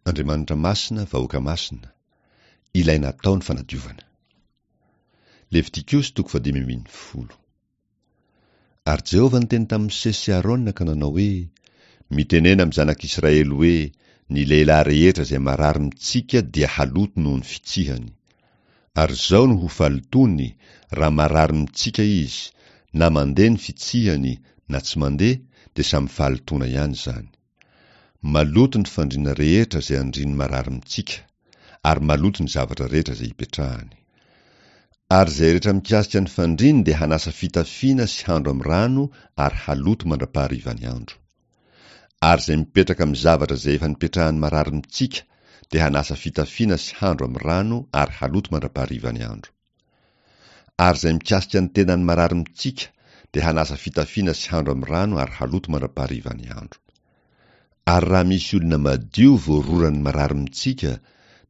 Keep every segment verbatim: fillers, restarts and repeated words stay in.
Andriamanitra masina, vahoaka masina. Ilaina atao ny fanadiovana. Levitikosy toko fahadimy ambin'ny folo. Ary Jehovah niteny tamin'i Mosesy sy Arona ka nanao hoe, Mitenena amin'ny zanak'Israely hoe, Ny lehilahy rehetra izay marary mitsika dia haloto noho ny fitsihany. Ary izao no ho fahalotoany, raha marary mitsika izy, na mandeha ny fitsihany na tsy mandeha, dia samy fahalotoana ihany izany. Maloto ny fandriana rehetra izay andrian'ny marary mitsika, ary maloto ny zavatra rehetra izay ipetrahany. Ary izay rehetra mikasika ny fandriany dia hanasa fitafiana sy handro amin'ny rano ary haloto mandra-paharivan'ny andro. Ary izay mipetraka amin'ny zavatra izay efa nipetrahan'ny marary mitsika dia hanasa fitafiana sy handro amin'ny rano ary haloto mandra-paharivan'ny andro. Ary izay mikasika ny tenan'ny marary mitsika dia hanasa fitafiana sy handro amin'ny rano ary haloto mandra-paharivan'ny andro. Ary raha misy olona madio voaroran'ny marary mitsika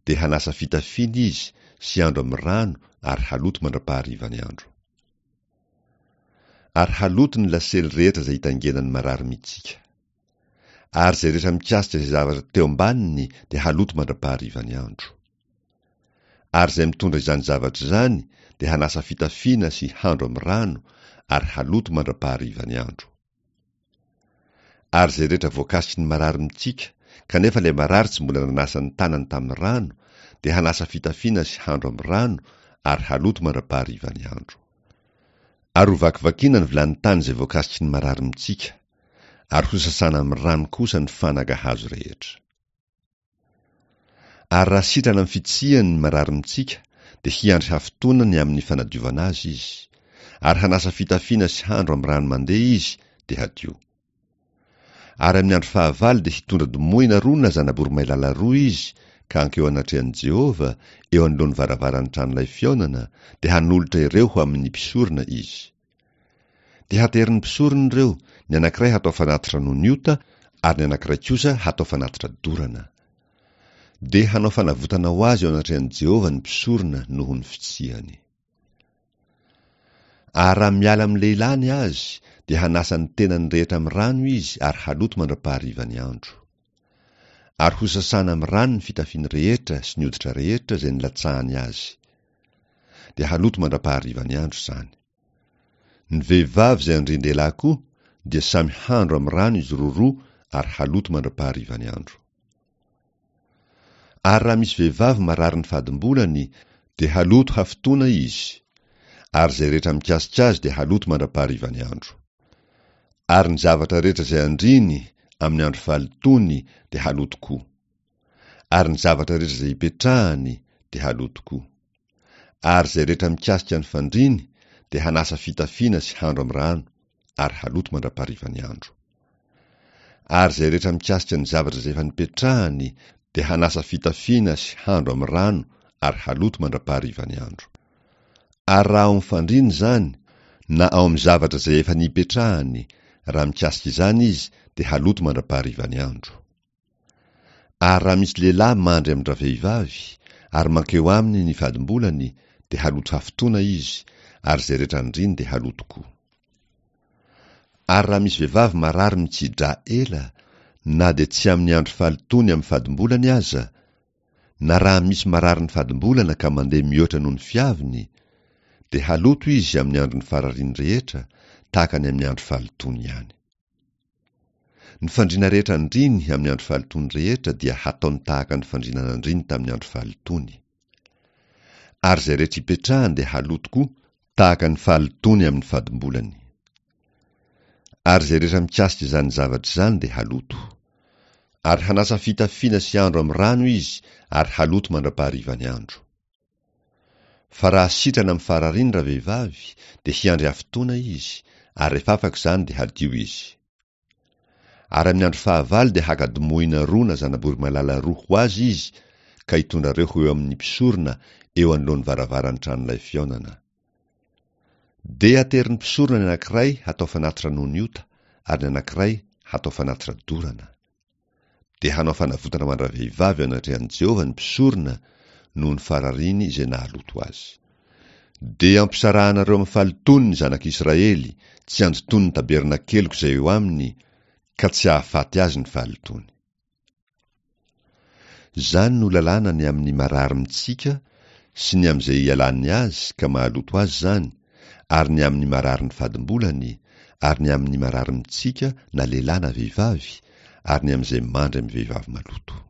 dia hanasa fitafiana izy sy handro amin'ny rano ary haloto mandra-paharivan'ny andro. Ary haloto ny lasely rehetra izay itaingenan'ny marary mitsika. Ary izay rehetra mikasika izay zavatra teo ambaniny dia haloto mandra-paharivan'ny andro. Ary izay mitondra izany zavatra izany dia hanasa fitafiana sy handro amin'ny rano ary haloto mandra-paharivan'ny andro. Ary izay rehetra voakasiky ny marary mitsika, kanefa ilay marary tsy mbola nanasa ny tanany tamin'ny rano, dia hanasa fitafiana sy handro amin'ny rano ary haloto mandra-paharivan'ny andro. Ary hovakivakiana ny vilany tany izay voakasiky ny marary mitsika, ary hosasana amin'ny rano kosa ny fanaka hazo rehetra. Ary raha sitrana amin'ny fitsihany ny marary mitsika, dia hiandry hafitoana ny amin'ny fanadiovana azy izy, ary hanasa fitafiana sy handro amin'ny rano mandeha izy, dia hadio. Ary amin'ny andro fahavalo dia hitondra domohina roa na zana-boromailala roa izy, ka hankeo anatrehan'i Jehovah, eo anoloan'ny varavaran'ny tranolay fihaonana, dia hanolotra ireo ho amin'ny mpisorona izy. Dia haterin'ny mpisorona ireo, ny anankiray hatao fanatitra noho ny ota, ary ny anankiray kosa hatao fanatitra dorana. Dia hanao fanavotana ho azy eo anatrehan'i Jehovah ny mpisorona noho ny fitsihany. Ary raha miala amin'ny lehilahy ny azy, dia hanasa ny tenany rehetra amin'ny rano izy ary haloto mandra-paharivan'ny andro. Ary hosasana amin'ny rano ny fitafiany rehetra sy ny hoditra rehetra izay nilatsahany azy. Dia haloto mandra-paharivan'ny andro izany. Ny vehivavy izay andrian-dehilahy koa dia samy handro amin'ny rano izy roroa ary haloto mandra-paharivan'ny andro. Ary raha misy vehivavy marary ny fadimbolany, dia haloto hafitoana izy, ary izay rehetra mikasika azy dia haloto mandra-paharivan'ny andro. Ary ny zavatra rehetra izay andriany amin'ny andro fahalotoany dia haloto koa. Ary ny zavatra rehetra izay ipetrahany dia haloto koa. Ary izay rehetra mikasika ny fandriany dia hanasa fitafiana sy handro amin'ny rano ary haloto mandra-paharivan'ny andro. Ary izay rehetra mikasika ny zavatra izay efa nipetrahany dia hanasa fitafiana sy handro amin'ny rano ary haloto mandra-paharivan'ny andro. Ary raha ao amin'ny fandriana izany, na ao amin'ny zavatra izay efa nipetrahany, raha mikasika izany izy dia haloto mandra-paharivan'ny andro. Ary raha misy lehilahy mandry amin-dravehivavy, ary mankeo aminy ny fadimbolany, dia haloto hafitoana izy, ary izay rehetra andriany dia haloto koa. Ary raha misy vehivavy marary mitsi-drà ela, na dia tsy amin'ny andro fahalotoany amin'ny fadimbolany aza, na raha misy marary ny fadimbolana ka mandeha mihoatra noho ny fiaviny, dia haloto izy amin'ny andron'ny farariny rehetra, tahaka ny amin'ny andro fahalotoany ihany. Ny fandriana rehetra andriany amin'ny andro fahalotoany rehetra dia hataony tahaka ny fandriana nandriany tamin'ny andro fahalotoany. Ary izay rehetra ipetrahany dia haloto koa, tahaka ny fahalotoany amin'ny fadimbolany. Ary izay rehetra mikasika izany zavatra izany dia haloto. Ary hanasa fitafiana sy andro amin'ny rano izy ary haloto mandra-paharivan'ny andro. Fa raha sitrana amin'ny farariny ravehivavy, dia hiandry hafitoana izy, ary rehefa afaka izany dia hadio izy. Ary amin'ny andro fahavalo dia haka domohina roa na zana-boromailala roa ho azy izy, ka hitondra ireo ho eo amin'ny mpisorona eo anoloan'ny varavaran'ny tranolay fihaonana. Dia aterin'ny mpisorona ny anankiray hatao fanatitra noho ny ota, ary ny anankiray hatao fanatitra dorana. Dia hanao fanavotana ho an-dravehivavy eo anatrehan'i Jehovah ny mpisorona noho ny farariny izay nahaloto azy. Dia ampisarahanareo amin'ny fahalotoany ny zanak'Israely, tsy handotoany ny tabernakeliko izay eo aminy, ka tsy hahafaty azy ny fahalotoany. Izany no lalàna ny amin'ny marary mitsika sy ny amin'izay ialan'ny azy ka mahaloto azy izany, ary ny amin'ny mararin'ny fadimbolany, ary ny amin'ny marary mitsika na lehilahy na vehivavy, ary ny amin'izay mandry amin'ny vehivavy maloto.